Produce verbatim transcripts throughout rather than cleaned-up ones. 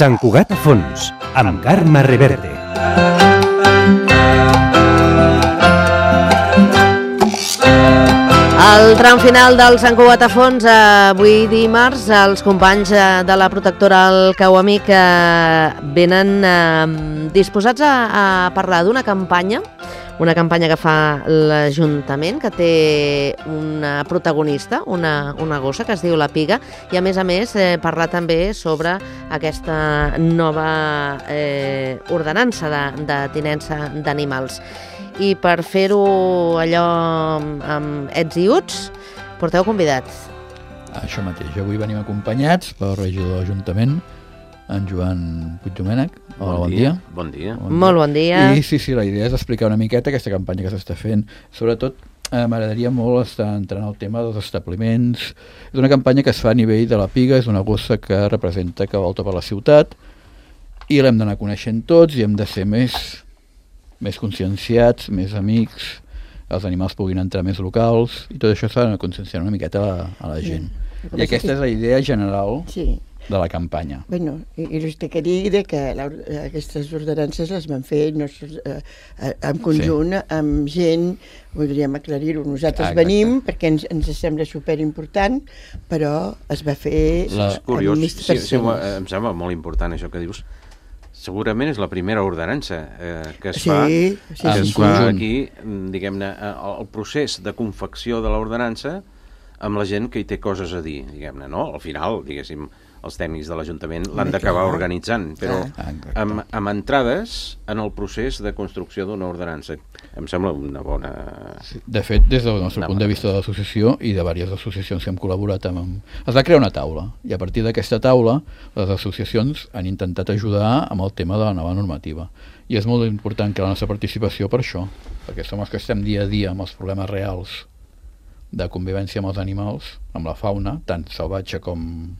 Sant Cugat a fons, amb Carme Reverte. Al tram final del Sant Cugat a fons, avui dimarts, els companys de la protectora El Cau Amic venen disposats a parlar d'una campanya, una campanya que fa l'Ajuntament, que té una protagonista, una, una gossa que es diu la Piga, i a més a més eh, parlar també sobre aquesta nova eh, ordenança de, de tinença d'animals. I per fer-ho allò amb ets i uts, porteu convidats. Això mateix, avui venim acompanyats pel regidor de l'Ajuntament, en Joan Puigdomènech. Hola, bon dia. Bon dia. Bon dia. Molt bon dia. I sí, sí, la idea és explicar una miqueta aquesta campanya que s'està fent. Sobretot, eh, m'agradaria molt estar entrant al tema dels establiments. És una campanya que es fa a nivell de la Piga, és una gossa que representa que volta per la ciutat, i l'hem d'anar coneixent tots i hem de ser més, més conscienciats, més amics, els animals puguin entrar més locals, i tot això s'ha de conscienciar una miqueta a la, a la gent. Sí. I aquesta és la idea general. Sí. De la campanya. Bueno, i, i us he de dir que la, aquestes ordenances les van fer no, eh, en conjunt, sí, amb gent, voldríem aclarir-ho, nosaltres ah, venim perquè ens, ens sembla superimportant, però es va fer la... amb curiós, més persones. Sí, sí, em sembla molt important això que dius. Segurament és la primera ordenança eh, que es sí, fa, sí, que sí, es sí. fa aquí, diguem-ne, el procés de confecció de l'ordenança amb la gent que hi té coses a dir, diguem-ne, no? Al final, diguéssim, els tècnics de l'Ajuntament l'han d'acabar organitzant, però amb, amb entrades en el procés de construcció d'una ordenança. Em sembla una bona... De fet, des del nostre punt de vista de l'associació i de diverses associacions que hem col·laborat amb... Es va crear una taula, i a partir d'aquesta taula les associacions han intentat ajudar amb el tema de la nova normativa. I és molt important que la nostra participació per això, perquè som els que estem dia a dia amb els problemes reals de convivència amb els animals, amb la fauna, tant salvatge com...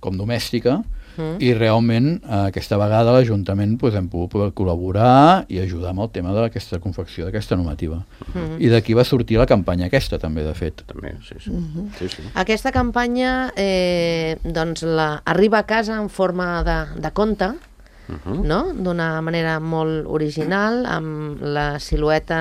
com domèstica, mm. i realment eh, aquesta vegada l'Ajuntament pues, hem pogut col·laborar i ajudar amb el tema d'aquesta confecció d'aquesta normativa. Mm. I d'aquí va sortir la campanya aquesta també, de fet. També, sí, sí. Mm-hmm. sí, sí. Aquesta campanya eh, doncs la, arriba a casa en forma de, de conte, Uh-huh. no? D'una manera molt original, amb la silueta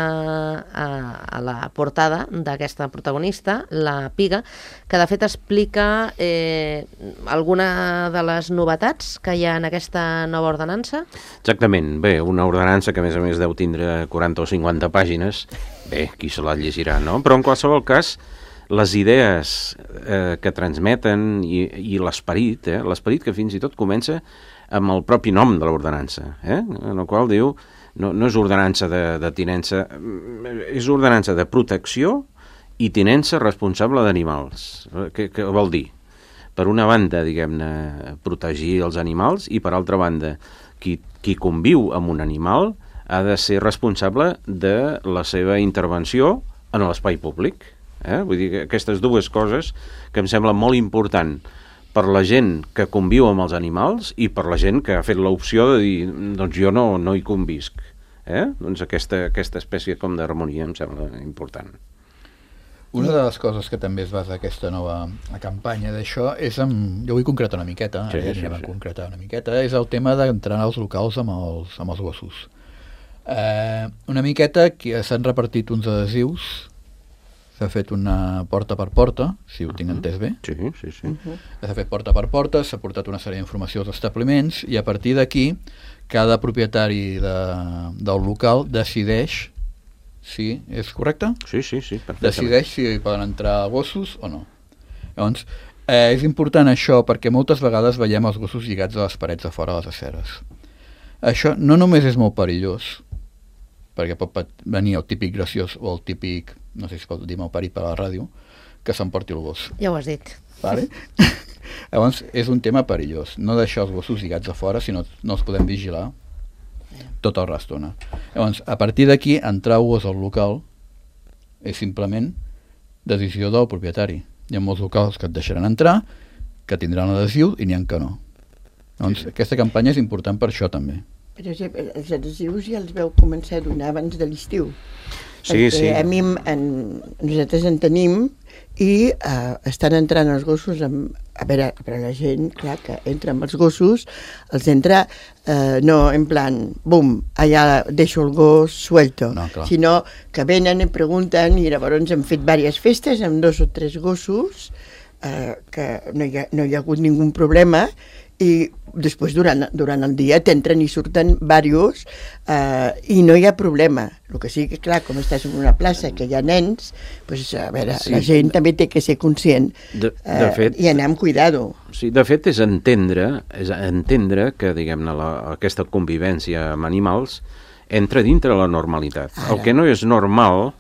a, a la portada d'aquesta protagonista, la Piga, que de fet explica eh, alguna de les novetats que hi ha en aquesta nova ordenança. Exactament, bé, una ordenança que a més a més deu tindre quaranta o cinquanta pàgines, bé, qui se la llegirà, no? Però en qualsevol cas, les idees eh, que transmeten i, i l'esperit, eh, l'esperit que fins i tot comença amb el propi nom de l'ordenança, eh? En el qual diu, no, no és ordenança de, de tinença, és ordenança de protecció i tinença responsable d'animals. Què, què vol dir? Per una banda, diguem-ne, protegir els animals, i per altra banda, qui, qui conviu amb un animal ha de ser responsable de la seva intervenció en l'espai públic. Eh? Vull dir que aquestes dues coses que em sembla molt important per la gent que conviu amb els animals i per la gent que ha fet l'opció de dir, doncs jo no, no hi convisc. Eh? Doncs aquesta, aquesta espècie com d'harmonia em sembla important. Una de les coses que també es basa aquesta nova campanya d'això és amb... Jo vull concretar una miqueta, sí, ja sí, anem sí. a concretar una miqueta, és el tema d'entrar als locals amb els, amb els gossos. Eh, una miqueta que s'han repartit uns adhesius. S'ha fet una porta per porta, si ho tinc entès bé. Sí, sí, sí. Uh-huh. S'ha fet porta per porta, s'ha portat una sèrie d'informació als establiments i a partir d'aquí cada propietari de, del local decideix si és correcte? Sí, sí, sí, perfectament. Decideix si poden entrar gossos o no. Llavors, eh, és important això perquè moltes vegades veiem els gossos lligats a les parets de fora de les aceres. Això no només és molt perillós, perquè pot venir el típic graciós o el típic, no sé si pot dir malparit per a la ràdio, que s'emporti el gos. Ja ho has dit. Vale? Llavors, és un tema perillós. No deixar els gossos lligats a fora, sinó no els podem vigilar tota l'estona. Llavors, a partir d'aquí, entrar el gos al local és simplement decisió del propietari. Hi ha molts locals que et deixaran entrar, que tindran adhesiu i n'hi ha que no. Llavors, sí. Aquesta campanya és important per això també. Per exemple, els adhesius ja els veu començar a donar abans de l'estiu. Sí, sí. A mi, en, nosaltres en tenim i eh, estan entrant els gossos amb, a veure, per a la gent, clar, que entra amb els gossos, els entra eh, no en plan, bum, allà deixo el gos suelto, no, sinó que venen i pregunten, i llavors hem fet diverses festes amb dos o tres gossos, eh, que no hi, ha, no hi ha hagut ningú problema, i després durant, durant el dia t'entren i surten diversos eh, i no hi ha problema. El que sí que, clar, com estàs en una plaça que hi ha nens, pues, a veure, sí. La gent també té que ser conscient de, de fet, eh, i anar amb cuidado. Sí, de fet, és entendre, és entendre que, diguem-ne, la, aquesta convivència amb animals entra dintre la normalitat. Ara. El que no és normal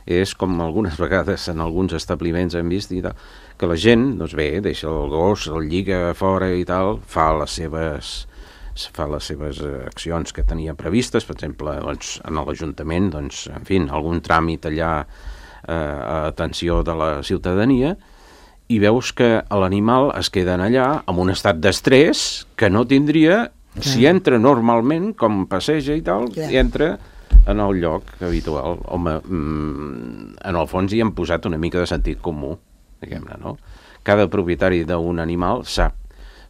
és, com algunes vegades en alguns establiments hem vist, i tal, que la gent, doncs bé, deixa el gos, el lliga fora i tal, fa les seves, fa les seves accions que tenia previstes, per exemple, doncs, en l'Ajuntament, doncs, en fi, algun tràmit allà eh, a atenció de la ciutadania, i veus que l'animal es queda allà amb un estat d'estrès que no tindria Clar. Si entra normalment, com passeja i tal, Clar. I entra en el lloc habitual. Home, mm, en el fons hi hem posat una mica de sentit comú, diguem-ne, no? Cada propietari d'un animal sap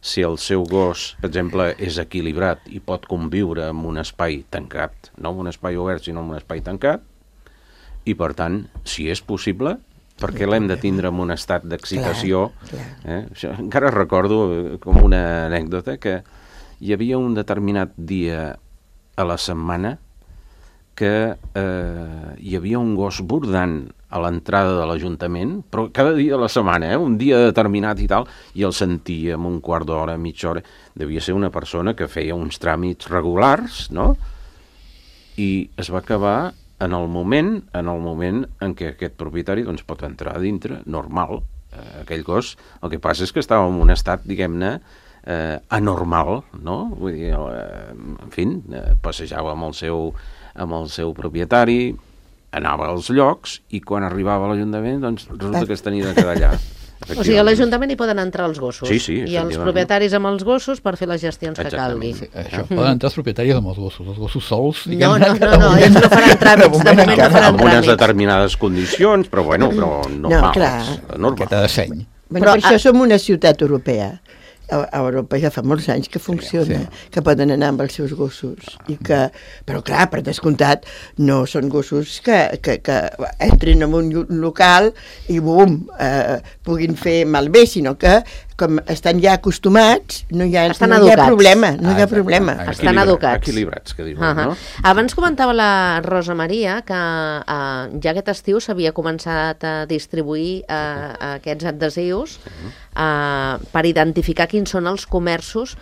si el seu gos, per exemple, és equilibrat i pot conviure en un espai tancat, no en un espai obert, sinó en un espai tancat, i per tant, si és possible, perquè l'hem de tindre en un estat d'excitació. Eh? Això, encara recordo com una anècdota que hi havia un determinat dia a la setmana que eh, hi havia un gos bordant a l'entrada de l'Ajuntament, però cada dia de la setmana, eh, un dia determinat i tal, i el sentia en un quart d'hora, mitja hora. Devia ser una persona que feia uns tràmits regulars, no? I es va acabar en el moment en el moment en què aquest propietari doncs, pot entrar a dintre, normal. Eh, aquell gos, el que passa és que estava en un estat, diguem-ne, eh, anormal, no? Vull dir, eh, en fi, eh, passejava amb el seu amb el seu propietari, anava als llocs i quan arribava a l'Ajuntament doncs resulta que es tenia de quedar allà. O sigui, a l'Ajuntament hi poden entrar els gossos sí, sí, i els propietaris amb els gossos per fer les gestions que calgui. Sí, això, poden entrar els propietaris amb els gossos, els gossos sols. No, no, no, no, ells no faran tràmits, de moment no faran amb unes determinades condicions, però bueno, però normals. No, clar. Miqueta de seny. Bueno, per això som una ciutat europea. A Europa ja fa molts anys que funciona, sí, sí. Que poden anar amb els seus gossos. I que, però clar, per descomptat, no són gossos que, que, que entrin en un local i bum, eh, puguin fer malbé, sinó que com estan ja acostumats, no hi ha, no hi ha problema. No hi ha problema. Ah, estan educats. Equilibrats, que diuen, uh -huh. no? Abans comentava la Rosa Maria que uh, ja aquest estiu s'havia començat a distribuir uh, aquests adhesius uh, per identificar quins són els comerços.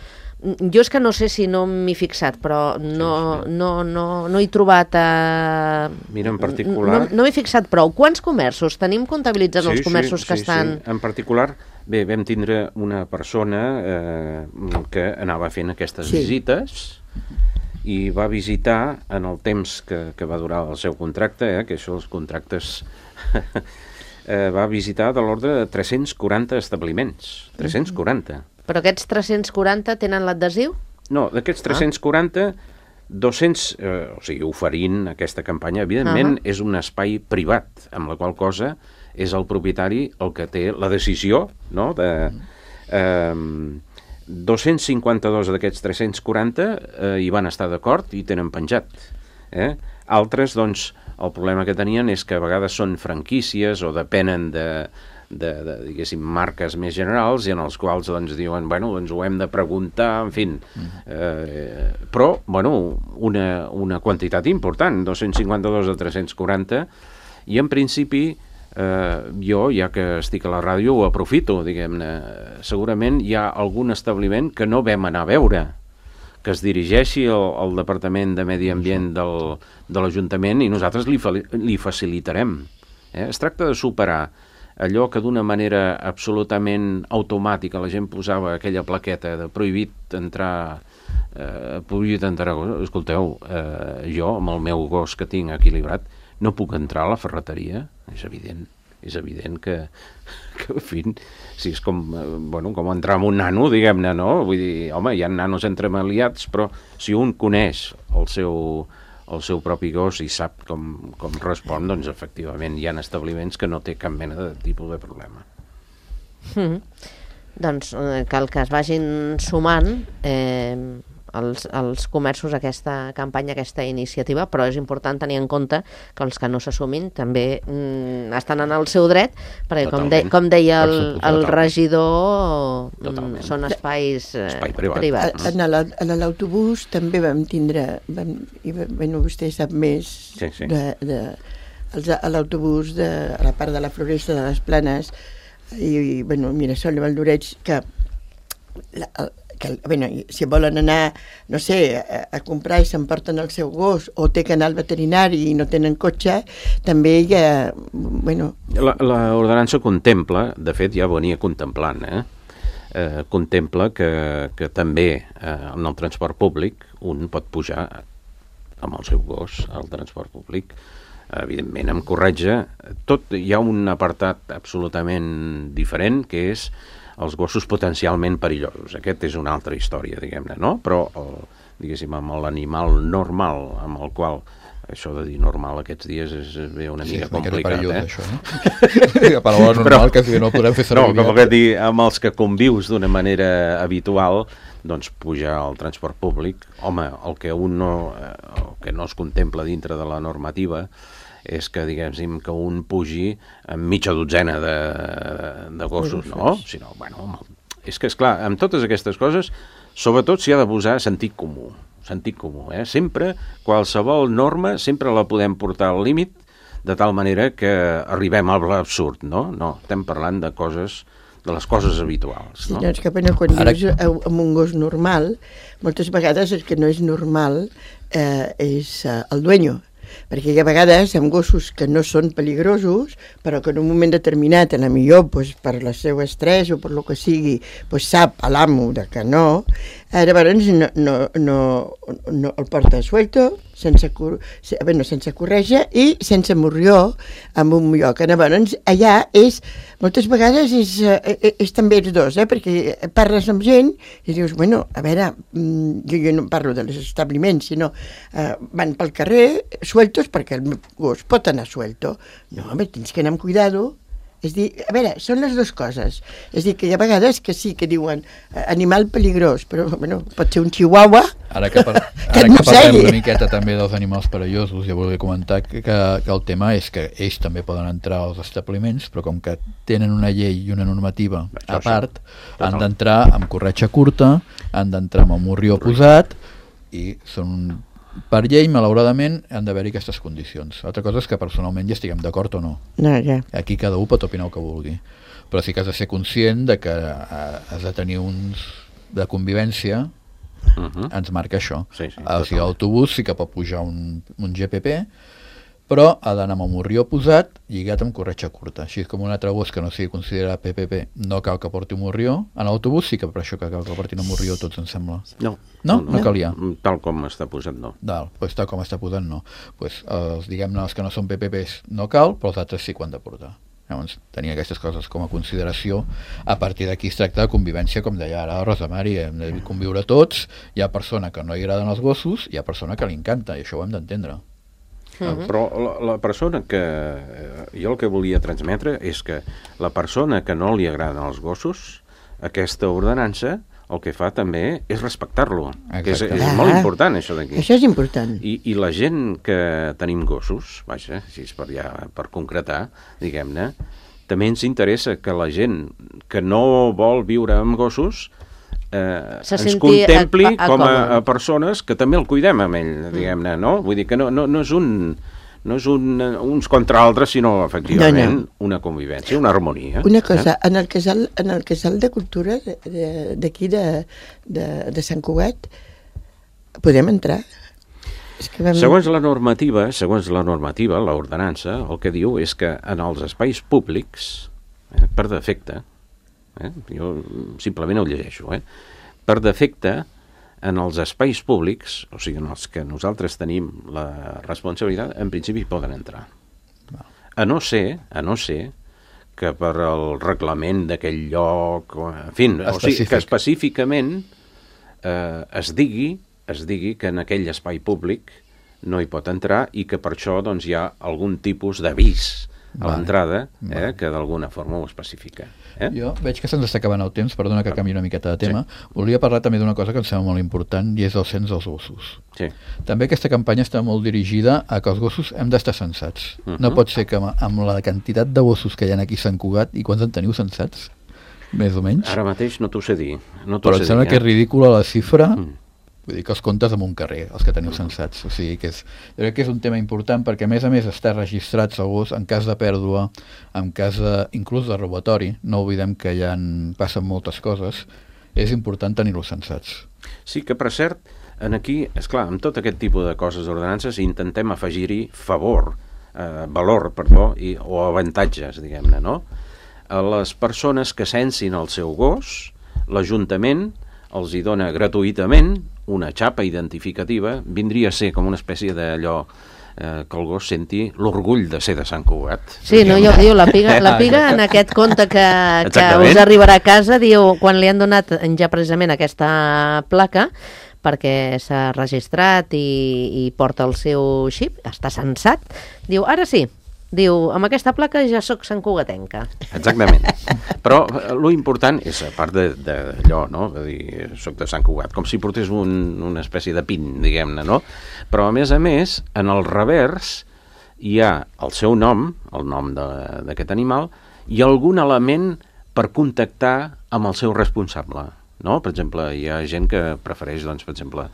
Jo és que no sé si no m'hi he fixat, però no, no, no, no he trobat... Eh... Mira, en particular... No, no m'he fixat prou. Quants comerços? Tenim comptabilitzats sí, els comerços sí, que sí, estan... Sí. En particular, bé, vam tindre una persona eh, que anava fent aquestes sí. visites i va visitar en el temps que, que va durar el seu contracte, eh, que això els contractes... eh, va visitar de l'ordre de tres-cents quaranta establiments. tres-cents quaranta. Però aquests tres-cents quaranta tenen l'adhesiu? No, d'aquests tres-cents quaranta, dos-cents, eh, o sigui, oferint aquesta campanya, evidentment, uh -huh. és un espai privat, amb la qual cosa és el propietari el que té la decisió, no?, de... Eh, dos-cents cinquanta-dos d'aquests tres-cents quaranta eh, hi van estar d'acord i tenen penjat. Eh? Altres, doncs, el problema que tenien és que a vegades són franquícies o depenen de... De, de, diguéssim, marques més generals i en els quals doncs diuen, bueno, doncs ho hem de preguntar, en fi. Eh, però, bueno, una, una quantitat important, dos-cents cinquanta-dos de tres-cents quaranta, i en principi, eh, jo, ja que estic a la ràdio, ho aprofito, diguem-ne. Segurament hi ha algun establiment que no vam anar a veure, que es dirigeixi al, al Departament de Medi Ambient del, de l'Ajuntament i nosaltres li, li facilitarem. Eh? Es tracta de superar allò que d'una manera absolutament automàtica la gent posava aquella plaqueta de prohibit entrar, eh, prohibit entrar, escolteu, eh, jo amb el meu gos que tinc equilibrat no puc entrar a la ferreteria, és evident, és evident que, que en fi, si és com, eh, bueno, com entrar amb un nano, diguem-ne, no? Vull dir, home, hi ha nanos entremaliats, però si un coneix el seu el seu propi gos i sap com, com respon, doncs efectivament hi ha establiments que no té cap mena de tipus de problema. Mm. Doncs eh, cal que es vagin sumant eh, els, els comerços a aquesta campanya, a aquesta iniciativa, però és important tenir en compte que els que no s'assumin també mm, estan en el seu dret, perquè com, de, com deia el, el regidor, mm, són espais eh, Espai privat. privats. A l'autobús també vam tindre, vam, i, bueno, vostè sap més, sí, sí. de, de, els, a l'autobús de a la part de la Floresta de les Planes i, i bueno, Mirasol i Valdoreig, que la, que, bueno, si volen anar, no sé, a, a comprar i s'emporten el seu gos o té que anar al veterinari i no tenen cotxe, també hi ha, bueno... L'ordenança contempla, de fet ja venia contemplant, eh? Eh, contempla que, que també eh, en el transport públic un pot pujar amb el seu gos al transport públic, evidentment amb corretja. Tot, hi ha un apartat absolutament diferent, que és els gossos potencialment perillosos. Aquest és una altra història, diguem-ne, no? Però, el, diguéssim, amb l'animal normal, amb el qual, això de dir normal aquests dies és bé una mica sí, complicat, perillós, eh? Això, no? La paraula normal, però, que no podem fer servir. No, com que dir, amb els que convius d'una manera habitual, doncs pujar al transport públic, home, el que un no, el que no es contempla dintre de la normativa és que, diguem, que un pugi amb mitja dotzena de, de gossos, no? Si no, bueno, és que, esclar, amb totes aquestes coses, sobretot s'hi ha de posar sentit comú, sentit comú, eh? Sempre, qualsevol norma, sempre la podem portar al límit, de tal manera que arribem a l'absurd, no? No, estem parlant de coses, de les coses habituals, no? Sí, doncs que bueno, quan Ara... dius amb un gos normal, moltes vegades el que no és normal eh, és eh, el dueño, perquè hi ha vegades amb gossos que no són peligrosos, però que en un moment determinat, a la millor pues, per el seu estrès o per lo que sigui, pues, sap a l'amo de que no, llavors no, no, no, no el porta suelto, sense, bueno, sense correja i sense morrió en un lloc. Llavors allà és, moltes vegades és, és, és també els dos, eh? Perquè parles amb gent i dius, bueno, a veure, jo, jo no parlo dels establiments, sinó eh, van pel carrer sueltos perquè el gos pot anar suelto. No, home, tens que anar amb cuidado. És dir, a veure, són les dues coses. És dir, que hi ha vegades que sí, que diuen eh, animal peligrós, però bueno, pot ser un chihuahua. Ara que, par que ara que parlem una miqueta també dels animals perillosos, ja volia comentar que, que, que el tema és que ells també poden entrar als establiments, però com que tenen una llei i una normativa a part, han d'entrar amb corretja curta, han d'entrar amb el morrió posat, i són... Per llei, malauradament, han d'haver-hi aquestes condicions. L'altra cosa és que personalment ja estiguem d'acord o no. No, ja. Aquí cada un pot opinar el que vulgui. Però sí que has de ser conscient de que has de tenir uns de convivència, uh-huh. Ens marca això. Sí, sí, o sigui, l'autobús sí que pot pujar un, un G P P, però ha d'anar amb el morrió posat lligat amb corretja curta. Així com un altre gos que no sigui considerat P P P no cal que porti un morrió. En l'autobús sí que per això que cal que portin un morrió tots, em sembla. No. No? No, no calia? Tal com està posat, no. Dalt, pues, tal com està posat, no. Pues, els, diguem-ne, els que no són P P Ps no cal, però els altres sí que han de portar. Llavors, tenir aquestes coses com a consideració. A partir d'aquí es tracta de convivència, com deia ara la Rosa Mari, hem de conviure tots. Hi ha persona que no li agraden els gossos, hi ha persona que li encanta, i això ho hem d'entendre. Uh-huh. Però la, la persona que... Jo el que volia transmetre és que la persona que no li agraden els gossos, aquesta ordenança, el que fa també és respectar-lo. Que és, és ah, molt important, això d'aquí. Això és important. I, I la gent que tenim gossos, vaja, si és per, ja, per concretar, diguem-ne, també ens interessa que la gent que no vol viure amb gossos eh, ens contempli a, a, a com a, a persones que també el cuidem amb ell, diguem-ne, no? Vull dir que no, no, no és un... no és un, uns contra altres, sinó, efectivament, no, no. una convivència, una harmonia. Una cosa, eh? en, el casal, en el casal de cultura d'aquí de, de, de, de Sant Cugat, podem entrar? És que vam... Segons la normativa, segons la normativa, l'ordenança, el que diu és que en els espais públics, eh, per defecte, eh, jo simplement ho llegeixo, eh, per defecte, en els espais públics, o sigui, en els que nosaltres tenim la responsabilitat, en principi poden entrar. A no ser, a no ser que per el reglament d'aquell lloc, en fi, o sigui, que específicament eh, es digui, es digui que en aquell espai públic no hi pot entrar i que per això doncs, hi ha algun tipus d'avís a vale. l'entrada eh, vale. que d'alguna forma ho especifica. Eh? Jo veig que se'ns està acabant el temps, perdona que canvi una miqueta de tema. Sí. Volia parlar també d'una cosa que em sembla molt important i és el cens dels gossos. Sí. També aquesta campanya està molt dirigida a que els gossos hem d'estar censats. Uh -huh. No pot ser que amb la quantitat de gossos que hi ha aquí a Sant Cugat, i quants en teniu censats? Més o menys? Ara mateix no t'ho sé dir. No Però em sembla dir, que eh? és ridícula la xifra. Mm. Vull dir que els comptes en un carrer, els que teniu Mm. censats. O sigui que és, jo crec que és un tema important perquè, a més a més, està registrat el gos en cas de pèrdua, en cas de, inclús de robatori. No oblidem que ja en passen moltes coses. És important tenir-los censats. Sí, que per cert, en aquí, és clar, amb tot aquest tipus de coses d'ordenances intentem afegir-hi favor, eh, valor, perdó, i, o avantatges, diguem-ne, no? A les persones que censin el seu gos, l'Ajuntament els hi dona gratuïtament una xapa identificativa, vindria a ser com una espècie d'allò eh, que el gos senti l'orgull de ser de Sant Cugat. Sí, no, jo diu, la piga, la piga en aquest conte que, que us arribarà a casa, diu, quan li han donat ja precisament aquesta placa, perquè s'ha registrat i, i porta el seu xip, està censat, diu, ara sí, diu, amb aquesta placa ja sóc santcugatenca. Exactament. Però lo important és, a part d'allò, no? De dir, soc de Sant Cugat, com si portés un, una espècie de pin, diguem-ne, no? Però, a més a més, en el revers hi ha el seu nom, el nom d'aquest animal, i algun element per contactar amb el seu responsable. No? Per exemple, hi ha gent que prefereix, doncs, per exemple,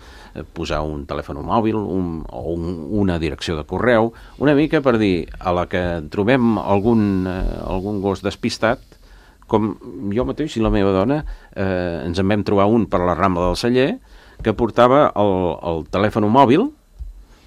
posar un telèfon mòbil un, o un, una direcció de correu, una mica per dir, a la que trobem algun, eh, algun gos despistat, com jo mateix i la meva dona, eh, ens en vam trobar un per la Rambla del Celler, que portava el, el telèfon mòbil,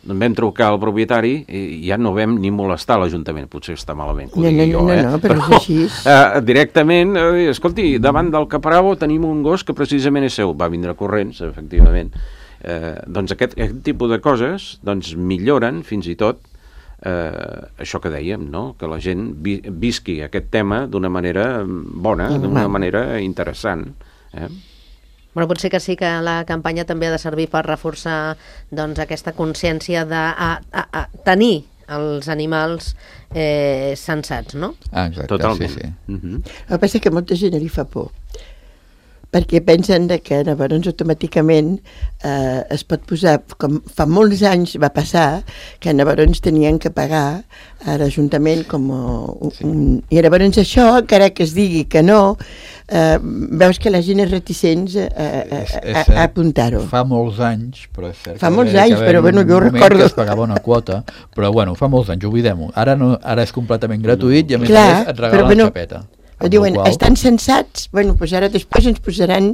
en vam trucar al propietari i ja no vam ni molestar l'Ajuntament, potser està malament. No, no, jo, no, eh? no, però és així. Uh, directament, uh, escolti, davant del Capravo tenim un gos que precisament és seu, va vindre corrents, efectivament. Uh, doncs aquest, aquest tipus de coses doncs, milloren fins i tot uh, això que dèiem, no? Que la gent vi visqui aquest tema d'una manera bona, d'una manera interessant. Eh? Bueno, potser que sí que la campanya també ha de servir per reforçar doncs, aquesta consciència de a, a, a tenir els animals eh, censats, no? Ah, exacte, totalment. Sí, sí. Uh-huh. El que passa és que molta gent li fa por, perquè pensen que llavors automàticament eh, es pot posar, com fa molts anys va passar, que llavors tenien que pagar a l'Ajuntament com un, sí. un... I llavors això, encara que es digui que no, eh, veus que la gent és reticent a, a, a, a apuntar-ho. Fa molts anys, però és cert. Fa molts anys, però bueno, jo recordo... que es pagava una quota, però bueno, fa molts anys, oblidem-ho. Ara, no, ara és completament gratuït i a més Clar, a més et regalen bueno, la xapeta. Diuen, qual... estan censats, bueno, doncs ara després ens posaran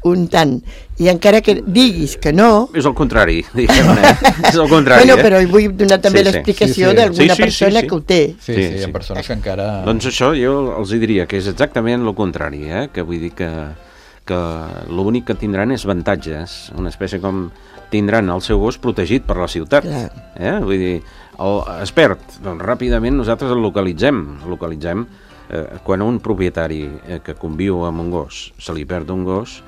un tant. I encara que diguis que no... És el contrari, diguem-ne. És el contrari, bueno, eh? però vull donar també sí, sí. l'explicació sí, sí. d'alguna sí, sí, persona sí, sí. que ho té. Sí, sí, sí, hi ha persones que encara... Doncs això jo els diria que és exactament el contrari, eh? Que vull dir que, que l'únic que tindran és avantatges, una espècie com tindran el seu gos protegit per la ciutat. Eh? Vull dir, el expert, doncs ràpidament nosaltres el localitzem, el localitzem eh, quan un propietari eh, que conviu amb un gos se li perd un gos,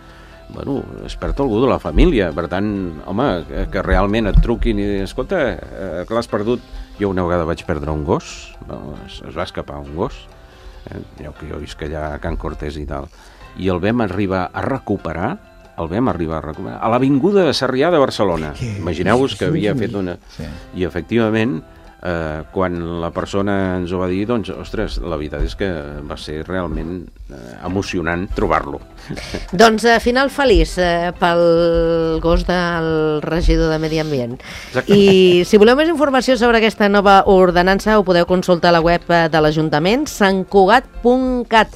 bueno, es perd algú de la família, per tant, home, que, que realment et truquin i dir, escolta, eh, que l'has perdut. Jo una vegada vaig perdre un gos, bueno, es, es va escapar un gos, eh, jo que jo visc allà a Can Cortés i tal, i el vam arribar a recuperar, el vam arribar a recuperar, a l'Avinguda de Sarrià de Barcelona. Imagineu-vos que havia fet una... Sí. I efectivament, eh, quan la persona ens ho va dir, doncs, ostres, la veritat és que va ser realment eh, emocionant trobar-lo. Doncs eh, final feliç eh, pel gos del regidor de Medi Ambient. Exacte. I si voleu més informació sobre aquesta nova ordenança ho podeu consultar a la web de l'Ajuntament, sant cugat punt cat.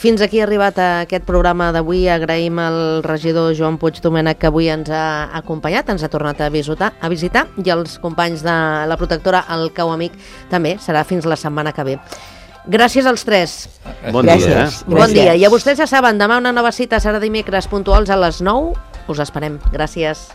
Fins aquí ha arribat aquest programa d'avui. Agraïm al regidor Joan Puig Domènech que avui ens ha acompanyat, ens ha tornat a visitar, a visitar i els companys de la protectora, el Cau Amic, també serà fins la setmana que ve. Gràcies als tres. Bon Gràcies. dia, eh? Bon Gràcies. dia. I a vostès ja saben, demà una nova cita serà dimecres puntuals a les nou. Us esperem. Gràcies.